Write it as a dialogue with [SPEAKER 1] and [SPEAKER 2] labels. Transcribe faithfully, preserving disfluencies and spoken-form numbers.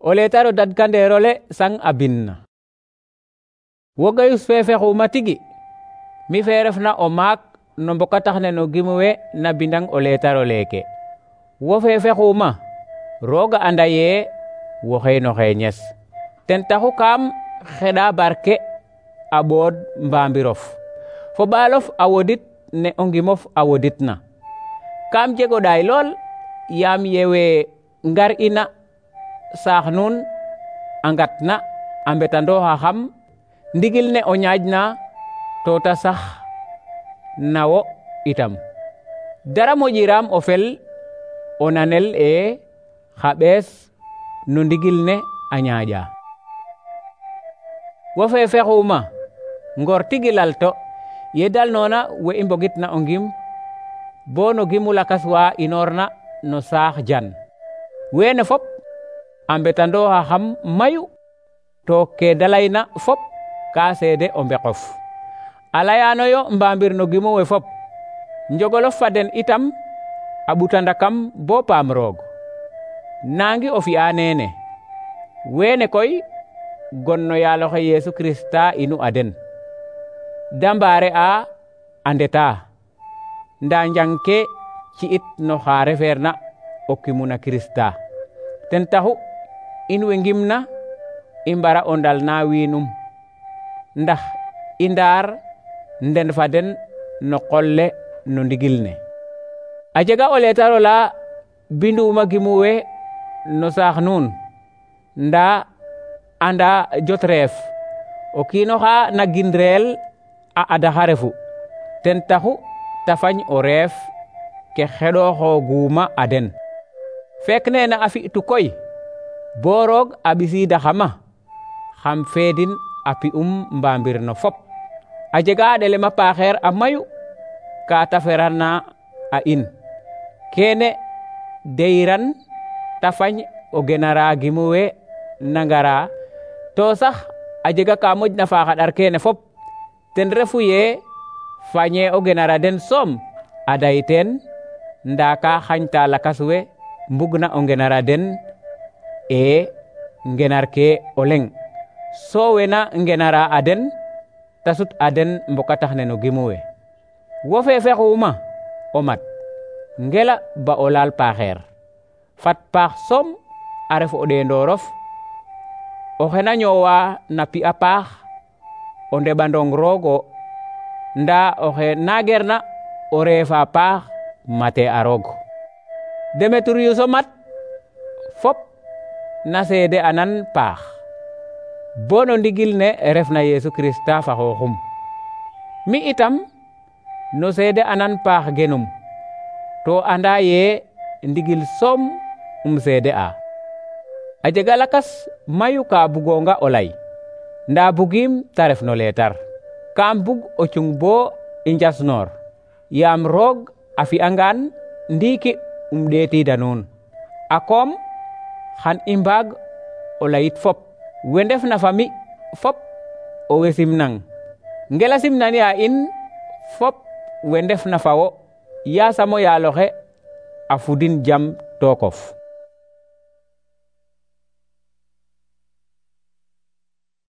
[SPEAKER 1] O letaro dadkanderole sang a binna. Wo Gayus fe fexuma tigi, mi fe refna o maak no mbokatax ne no gimuwe na bindang o letaro leke. Wo fe fexuma, Roga anda ye woxey no xeñes. Ten taxu kaam xeɗa barke a ɓood mbambirof, fo ɓaalof a wodit ne o ngimof a woditna. Kaam jego ɗaay lool yaam yewe ngar ina saax nuun a ngatna a mbetandooxa xam ndigil ne o ñaƴna to ta sax na wo itam. Dara moƴiram o fel o nanel e xa ɓees no ndigil ne a ñaaƴa. Wo fe fexuma ngor tigi lalto ye dalnona we i mbogitna o ngim bo no gimu lakas wa inorna no saax jan. Weene fop a mbetandooxa xam mayu to ke da layna fop ka seede o mbeqof. A layanoyo mbambir no gimu we fop, njogolof fa den itam a ɓutandakam bo paam roog. Nangi o fi'a nene, weene koy gon no yaaloxe Yesu Krista inu a den. Da mbaare a a ndeta, nda njang ke ci'it no xa refeerna o kimuna Krista. Ten taxu in we ngimna i mbara o ndalna wiinum, ndax i ndaar nden fa den no qol le no ndigil ne. A jega o letaro la binduma gimu we no saax nuun, nda anda jot reef o kiino xa na gindreel a adaxa refu. Ten taxu ta fañ o reef ke xeɗoxooguma a den. Fek nene a fi'tu koy bo roog a ɓisiidaxama xam feedin a pi'um mbambir no fop. A jega a ɗelem a paaxeer a mayu ka ta ferana a in. Kene deyiran ta fañ o genara gimu we na ngara, to sax a jega ka moƴna faax a ɗar kene fop, ten refu ye fañe o genara den soom a day teen, nda ka xañta lakas we mbugna o ngenara den e ngenar ke o leŋ. So wena ngenara a den ta sut a den mbokatax ne no gimu we. Wo fe fexuma o mat, ngela ba o laal paaxeer. Fat paax soom a ref o ɗeendorof, oxe na ñoowa na pi'a paax o ndeɓandong roogo, nda oxe nagerna o reefa paax mate a roog. Demetrius o mat fop na seede anan paax bo no ndigil ne refna Yesu Krista fa xooxum. Mi itam no seede anan paax genum, to anda ye ndigil soom um seede a. A jega lakas mayu ka bugonga o lay, nda bugim ta ref no leetar. Kaam bug o cung bo i njasnoor, yaam roog a fi'angaan ndiiki um ɗeetida nuun. A koom xan i mbaag o layit fop. We ndefna fa mi fop o we simnang, ngela simnani a in fop we ndefna fa wo, yasam o yaaloxe a fudin jam tookof.